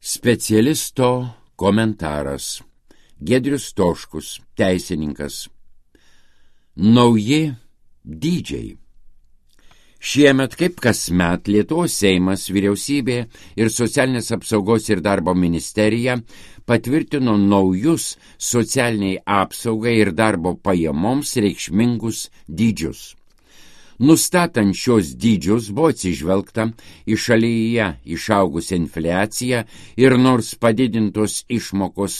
Specialisto komentaras. Giedrius Stoškus, teisininkas. Nauji dydžiai. Šiemet, kaip kasmet, Lietuvos Seimas, Vyriausybė ir Socialinės apsaugos ir darbo ministerija patvirtino naujus socialiniai apsaugai ir darbo pajamoms reikšmingus dydžius. Nustatant šios dydžius buvo atsižvelgta į šalyje išaugusią infliaciją ir nors padidintos išmokos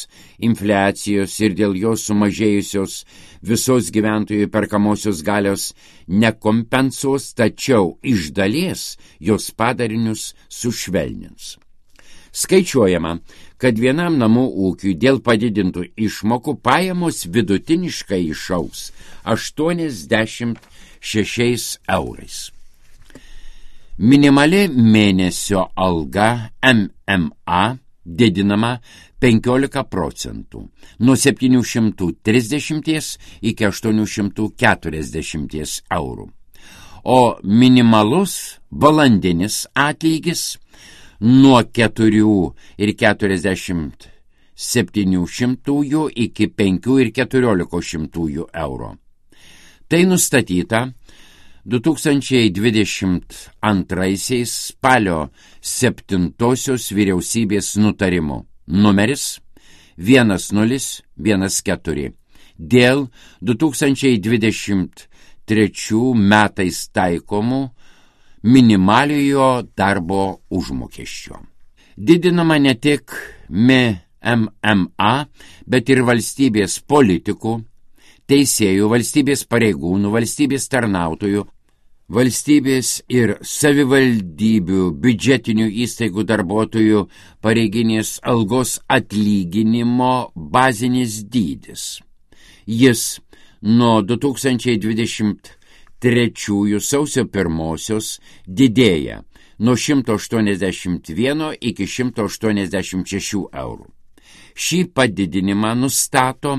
infliacijos ir dėl jos sumažėjusios visos gyventojų perkamosios galios nekompensuos, tačiau iš dalies jos padarinius sušvelnins. Skaičiuojama, kad vienam namų ūkiui dėl padidintų išmokų pajamos vidutiniškai išaugs 86 eurais. Minimali mėnesio alga MMA didinama 15%, nuo 730 iki 840 eurų, o minimalus valandinis atlygis nuo 4,47 iki 5,14 eurų. Tai nustatyta 2022 spalio 7 vyriausybės nutarimu numeris 1014 dėl 2023 metais taikomų minimaliojo darbo užmokesčio. Didinama ne tik MMA, bet ir valstybės politikų, teisėjų, valstybės pareigūnų, valstybės tarnautojų, valstybės ir savivaldybių biudžetinių įstaigų darbuotojų pareiginės algos atlyginimo bazinis dydis. Jis nuo 2023 sausio 1 didėja nuo 181 iki 186 eurų. Šį padidinimą nustato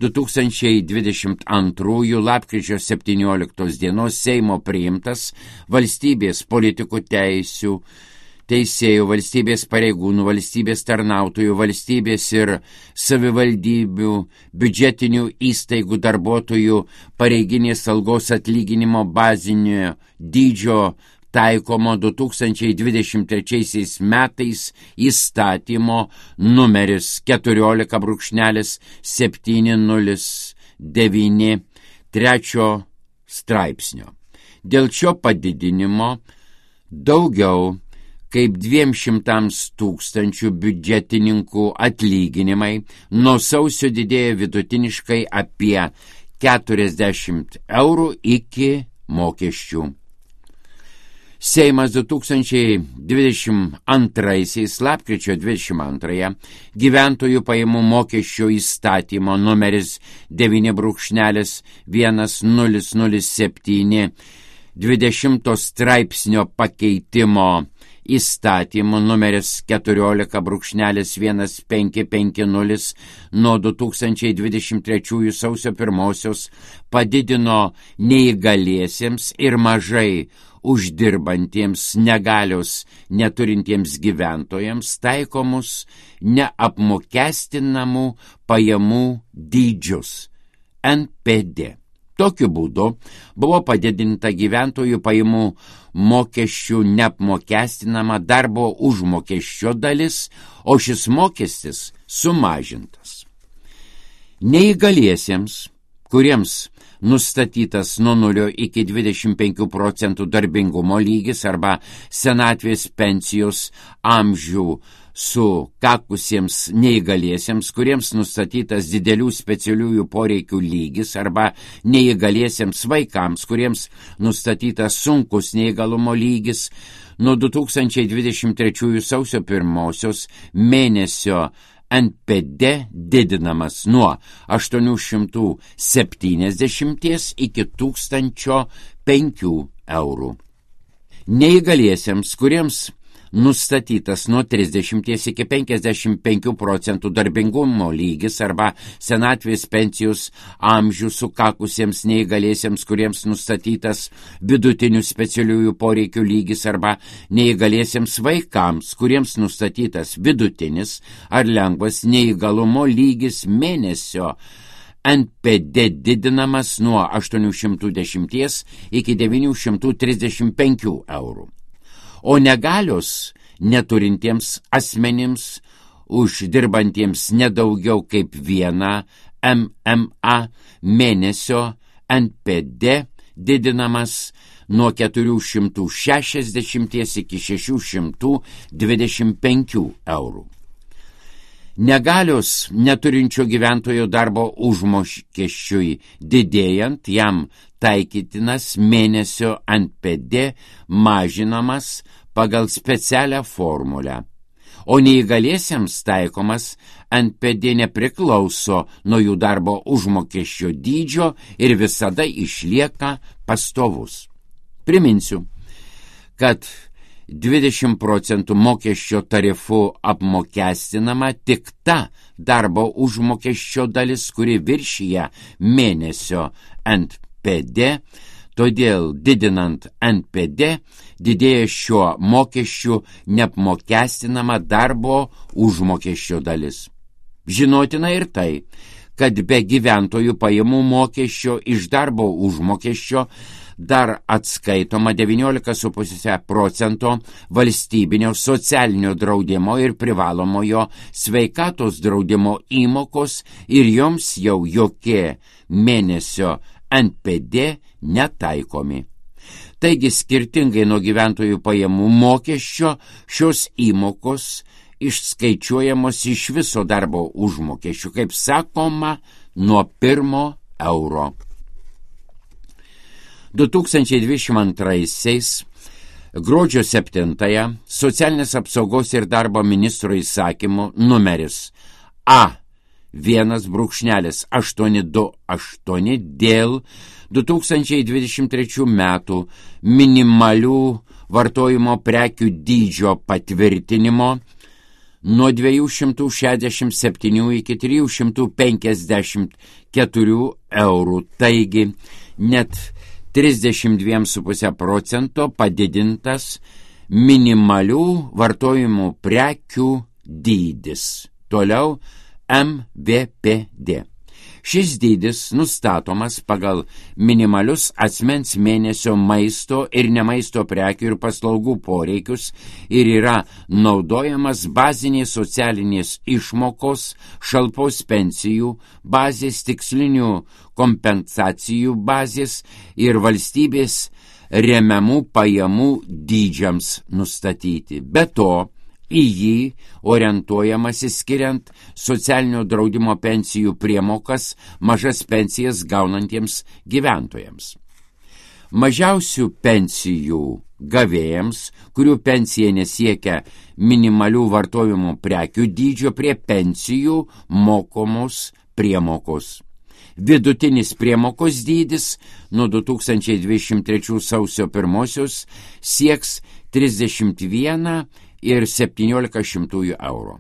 2022 lapkričio 17 dienos Seimo priimtas valstybės politikų teisių, teisėjų, valstybės pareigūnų, valstybės tarnautojų, valstybės ir savivaldybių, biudžetinių įstaigų darbuotojų pareiginės algos atlyginimo bazinio dydžio taikomo 2023 metais įstatymo numeris 14.709 3 straipsnio. Dėl šio padidinimo daugiau kaip 200 tūkstančių biudžetininkų atlyginimai nuo sausio didėja vidutiniškai apie 40 eurų iki mokesčių. Seimas 2022 lapkričio 22 gyventojų pajamų mokesčio įstatymo numeris 9.1007 20 straipsnio pakeitimo įstatymo numeris 14.1550 nuo 2023 sausio 1 padidino neįgaliesiems ir mažai uždirbantiems negalios neturintiems gyventojams taikomus neapmokestinamų pajamų dydžius NPD. Tokiu būdu buvo padidinta gyventojų pajamų mokesčių neapmokestinama darbo užmokesčio dalis, o šis mokestis sumažintas. Neįgaliesiems, kuriems nustatytas nuo 0 iki 25% darbingumo lygis arba senatvės pensijos amžių sukakusiems neįgaliesiems, kuriems nustatytas didelių specialiųjų poreikių lygis arba neįgaliesiems vaikams, kuriems nustatytas sunkus neįgalumo lygis, nuo 2023 sausio 1 mėnesio NPD didinamas nuo 870 iki 1005 eurų. Neįgaliesiems, kuriems nustatytas nuo 30 iki 55 procentų darbingumo lygis arba senatvės pensijos amžių sukakusiems neįgaliesiems, kuriems nustatytas vidutinių specialiųjų poreikių lygis arba neįgaliesiems vaikams, kuriems nustatytas vidutinis ar lengvas neįgalumo lygis mėnesio NPD didinamas nuo 810 iki 935 eurų. O negalios neturintiems asmenims uždirbantiems nedaugiau kaip vieną MMA mėnesio NPD didinamas nuo 460 iki 625 eurų. Negalios neturinčio gyventojo darbo užmokesčiui didėjant, jam taikytinas mėnesio NPD mažinamas pagal specialią formulę, o neįgaliesiems taikomas NPD nepriklauso nuo jų darbo užmokesčio dydžio ir visada išlieka pastovus. Priminsiu, kad 20 procentų mokesčio tarifu apmokestinama tik ta darbo užmokesčio dalis, kuri viršyja mėnesio NPD, todėl didinant NPD didėja šiuo mokesčiu neapmokestinama darbo užmokesčio dalis. Žinotina ir tai, kad be gyventojų pajamų mokesčio iš darbo užmokesčio dar atskaitoma 19,5 procento valstybinio socialinio draudimo ir privalomojo sveikatos draudimo įmokos ir joms jau jokie mėnesio NPD netaikomi. Taigi skirtingai nuo gyventojų pajamų mokesčio šios įmokos išskaičiuojamos iš viso darbo užmokesčių, kaip sakoma, nuo 1 euro. 2022 gruodžio 7 socialinės apsaugos ir darbo ministro įsakymu numeris A1-828 dėl 2023 metų minimalių vartojimo prekių dydžio patvirtinimo nuo 267 iki 354 eurų, taigi net 32,5 procento padidintas minimalių vartojimų prekių dydis. Toliau MVPD. Šis dydis nustatomas pagal minimalius asmens mėnesio maisto ir nemaisto prekių ir paslaugų poreikius ir yra naudojamas bazinės socialinės išmokos, šalpos pensijų, bazės tikslinių kompensacijų bazės ir valstybės remiamų pajamų dydžiams nustatyti. Be to, į jį orientuojamasi skiriant socialinio draudimo pensijų priemokas mažas pensijas gaunantiems gyventojams. Mažiausių pensijų gavėjams, kurių pensija nesiekia minimalių vartojimo prekių dydžio, prie pensijų mokomos priemokos. Vidutinis priemokos dydis nuo 2023 sausio 1 sieks 31,17 eurų.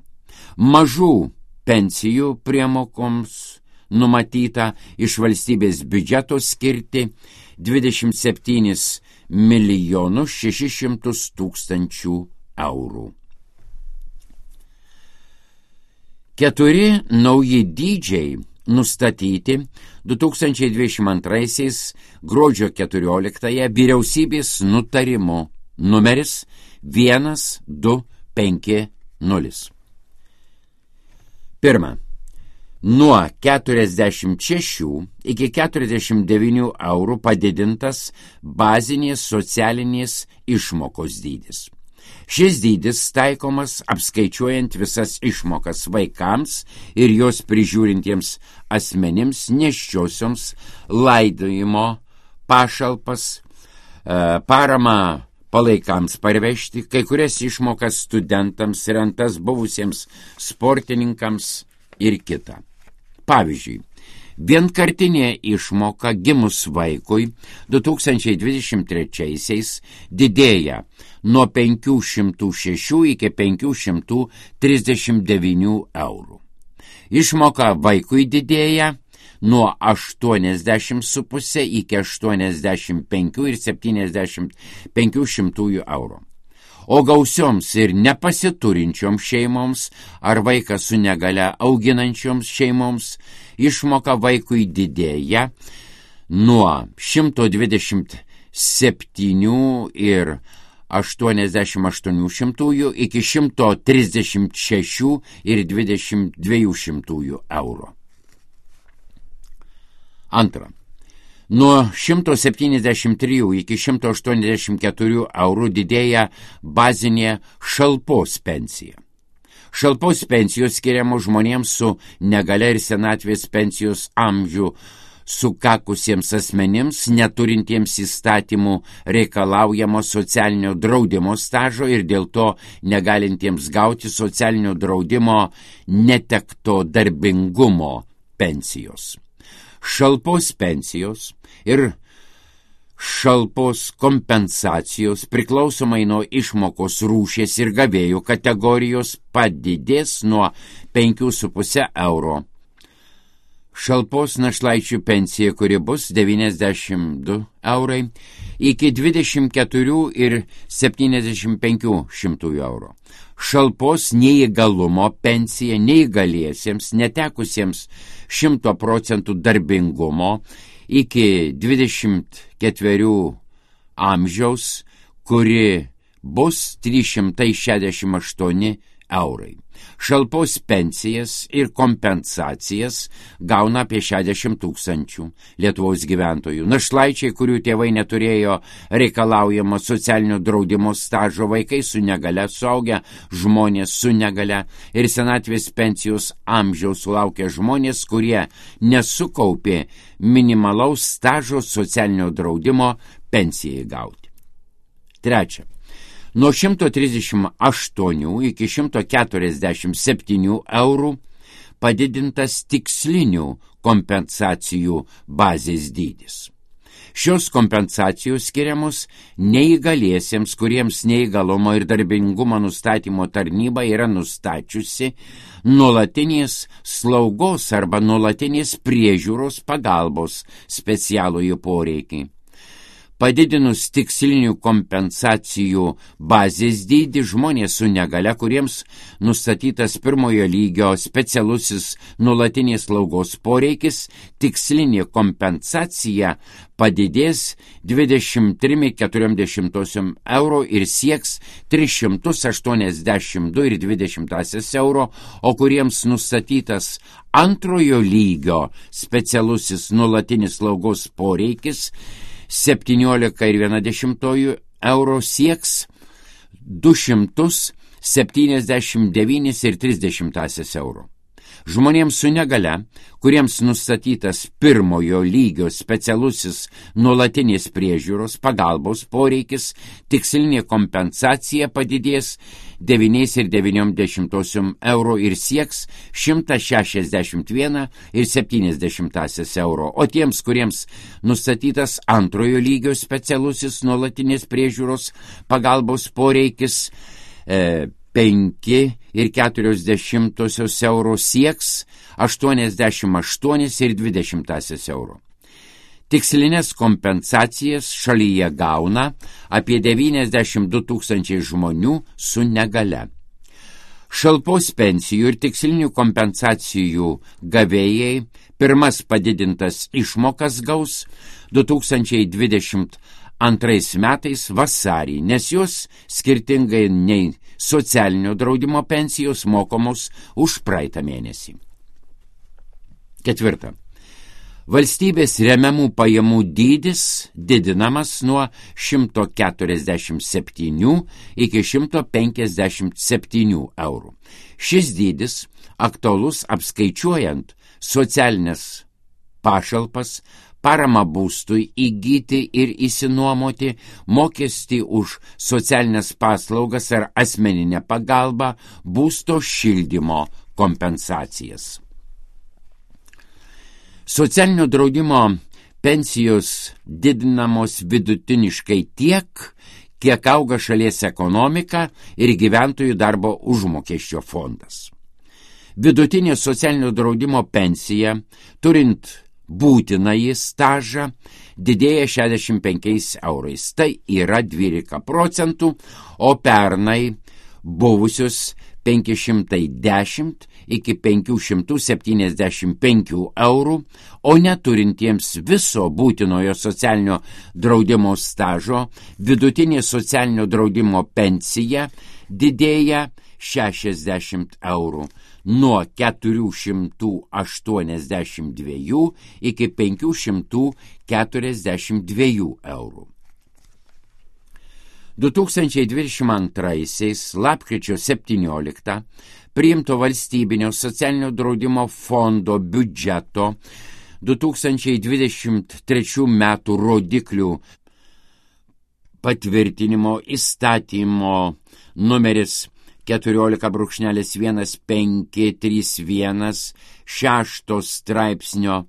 Mažų pensijų priemokoms numatyta iš valstybės biudžeto skirti 27,600,000 eurų. 4 nauji dydžiai nustatyti 2022 gruodžio 14 vyriausybės nutarimo numeris 1250. Pirma, nuo 46 iki 49 eurų padidintas bazinės socialinės išmokos dydis. Šis dydis taikomas apskaičiuojant visas išmokas vaikams ir jos prižiūrintiems asmenims, nėščiosioms, laidojimo pašalpas, paramą palaikams parvežti, kai kurias išmokas studentams, rentas buvusiems sportininkams ir kita. Pavyzdžiui, Vienkartinė išmoka gimus vaikui 2023 didėja nuo 506 iki 539 eurų. Išmoka vaikui didėja nuo 80,5 iki 85,75 eurų. O gausioms ir nepasiturinčioms šeimoms ar vaiką su negalia auginančioms šeimoms išmoka vaikui didėja nuo 127,88 iki 136,22 eurų. Antra. Nuo 173 iki 184 eurų didėja bazinė šalpos pensija. Šalpos pensijos skiriamos žmonėms su negalia ir senatvės pensijos amžių sukakusiems asmenims, neturintiems įstatymų reikalaujamo socialinio draudimo stažo ir dėl to negalintiems gauti socialinio draudimo netekto darbingumo pensijos. Šalpos pensijos ir šalpos kompensacijos priklausomai nuo išmokos rūšies ir gavėjų kategorijos padidės nuo 5,5 euro. Šalpos našlaičių pensija, kuri bus 92 eurai, iki 24,75 eurų. Šalpos neįgalumo pensija neįgaliesiems, netekusiems 100% darbingumo iki 24 amžiaus, kuri bus 368 eurai. Šalpos pensijas ir kompensacijas gauna apie 60 000 Lietuvos gyventojų. Našlaičiai, kurių tėvai neturėjo reikalaujamo socialinio draudimo stažo, vaikai su negalia, suaugę žmonės su negalia ir senatvės pensijos amžiaus sulaukę žmonės, kurie nesukaupė minimalaus stažo socialinio draudimo pensijai gauti. Trečia. Nuo 138 iki 147 eurų padidintas tikslinių kompensacijų bazės dydis. Šios kompensacijos skiriamos neįgaliesiems, kuriems neįgalumo ir darbingumo nustatymo tarnyba yra nustačiusi nuolatinės slaugos arba nuolatinės priežiūros pagalbos specialųjį poreikį. Padidinus tikslinių kompensacijų bazės dydį, žmonės su negalia, kuriems nustatytas pirmojo lygio specialusis nuolatinės slaugos poreikis, tikslinė kompensacija padidės 23,4 eurų ir sieks 382,20 eurų, o kuriems nustatytas antrojo lygio specialusis nuolatinis slaugos poreikis 17,1 eurų sieks 279,30 eurų. Žmonėms su negalia, kuriems nustatytas pirmojo lygio specialusis nuolatinės priežiūros pagalbos poreikis, tikslinė kompensacija padidės 9,90 eurų ir sieks 161,70 eurų, o tiems, kuriems nustatytas antrojo lygio specialusis nuolatinės priežiūros pagalbos poreikis 5,40 eurų sieks 88,20 eurų. Tikslinės kompensacijas šalyje gauna apie 92 000 žmonių su negalia. Šalpos pensijų ir tikslinių kompensacijų gavėjai pirmas padidintas išmokas gaus 2022 metais vasarį, nes jos skirtingai nei socialinio draudimo pensijos mokamos už praeitą mėnesį. Ketvirta. Valstybės remiamų pajamų dydis didinamas nuo 147 iki 157 eurų. Šis dydis aktualus apskaičiuojant socialinės pašalpas, paramą būstui įgyti ir įsinuomoti, mokestį už socialinės paslaugas ar asmeninę pagalbą, būsto šildymo kompensacijas. Socialinio draudimo pensijos didinamos vidutiniškai tiek, kiek auga šalies ekonomika ir gyventojų darbo užmokesčio fondas. Vidutinė socialinio draudimo pensija, turint būtinąjį stažą, didėja 65 eurais. Tai yra 12%, o pernai buvusius 510 iki 575 eurų, o neturintiems viso būtinojo socialinio draudimo stažo, vidutinė socialinio draudimo pensija didėja 60 eurų, nuo 482 iki 542 eurų. 2022 lapkričio 17 priimto valstybinio socialinio draudimo fondo biudžeto 2023 metų rodiklių patvirtinimo įstatymo numeris 14.1531 6 straipsnio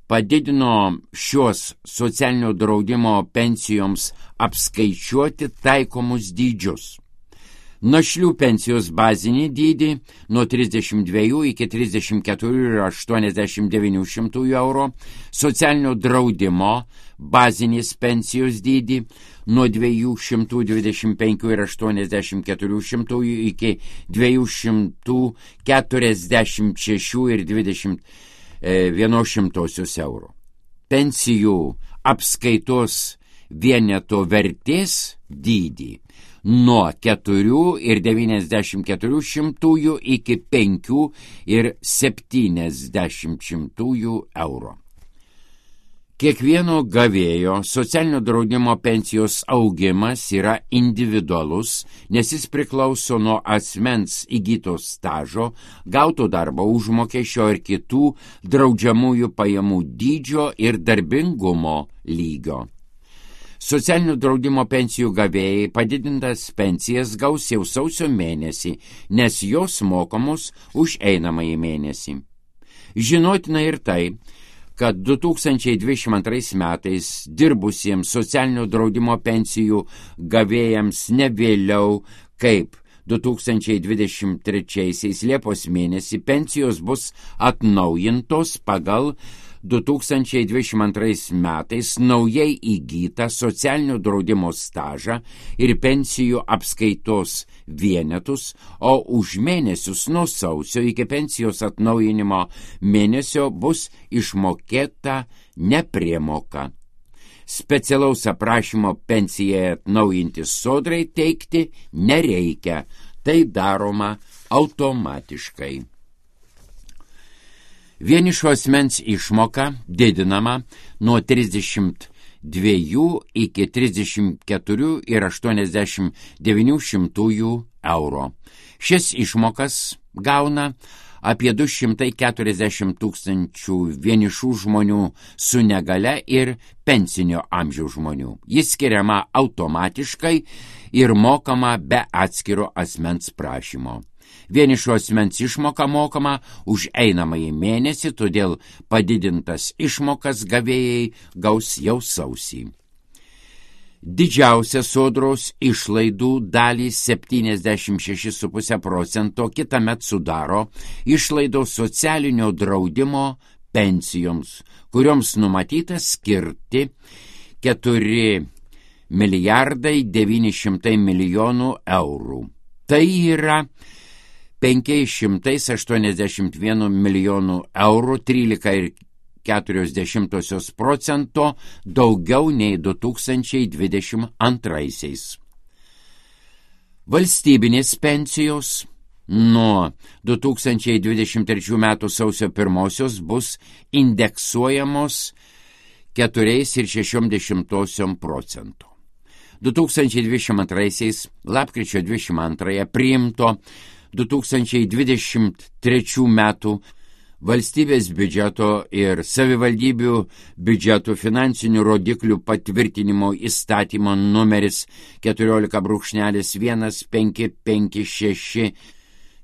padidino šios socialinio draudimo pensijoms apskaičiuoti taikomus dydžius. Našlių pensijos bazinį dydį nuo 32 iki 34,89 eurų, socialinio draudimo bazinės pensijos dydį nuo 225,84 iki 246,21 eurų. Pensijų apskaitos vieneto vertės dydį nuo 4,94 iki 5,70 eurų. Kiekvieno gavėjo socialinio draudimo pensijos augimas yra individualus, nes jis priklauso nuo asmens įgyto stažo, gauto darbo užmokesčio ir kitų draudžiamųjų pajamų dydžio ir darbingumo lygio. Socialinio draudimo pensijų gavėjai padidintas pensijas gaus jau sausio mėnesį, nes jos mokamos už einamąjį mėnesį. Žinotina ir tai, kad 2022 metais dirbusiems socialinio draudimo pensijų gavėjams ne vėliau kaip 2023 Liepos mėnesį pensijos bus atnaujintos pagal 2022 metais naujai įgytą socialinio draudimo stažą ir pensijų apskaitos vienetus, o už mėnesius nuo sausio iki pensijos atnaujinimo mėnesio bus išmokėta nepriemoka. Specialaus aprašymo pensijai atnaujinti sodrai teikti nereikia, tai daroma automatiškai. Vienišo asmens išmoka didinama nuo 32 iki 34,89 eurų. Šias išmokas gauna apie 240 tūkstančių vienišų žmonių su negale ir pensinio amžiaus žmonių. Jis skiriama automatiškai ir mokama be atskiro asmens prašymo. Vienišo asmens išmoka mokama už einamąjį mėnesį, todėl padidintas išmokas gavėjai gaus jau sausį. Didžiausia sodros išlaidų dalį 76,5% kitąmet sudaro išlaidos socialinio draudimo pensijoms, kurioms numatyta skirti 4,9 milijonų eurų. Tai yra 581 milijonų eurų, 13,4% daugiau nei 2022. Valstybinės pensijos nuo 2023 metų sausio 1 bus indeksuojamos 4,6%. 2022 lapkričio 22 priimto 2023 metų valstybės biudžeto ir savivaldybių biudžetų finansinių rodiklių patvirtinimo įstatymo numeris 14.1556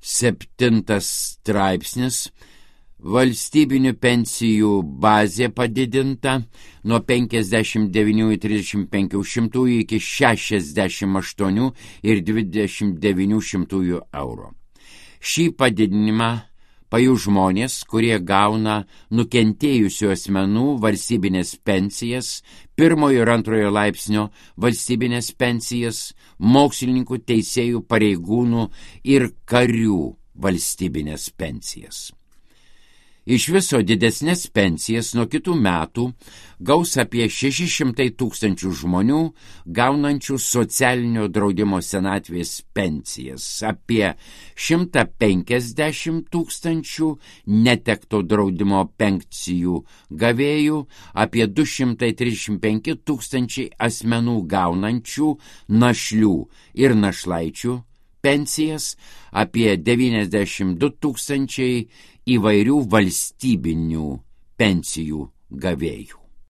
7 straipsnis Valstybinių pensijų bazė padidinta nuo 59,35 iki 68,29 eurų. Šį padidinimą pajus žmonės, kurie gauna nukentėjusių asmenų valstybinės pensijas, pirmojo ir antrojo laipsnio valstybinės pensijas, mokslininkų, teisėjų, pareigūnų ir karių valstybinės pensijas. Iš viso didesnės pensijas nuo kitų metų gaus apie 600 tūkstančių žmonių gaunančių socialinio draudimo senatvės pensijas, apie 150 tūkstančių netekto draudimo pensijų gavėjų, apie 235 tūkstančiai asmenų gaunančių našlių ir našlaičių pensijas, apie 92 tūkstančiai įvairių valstybinių pensijų gavėjų.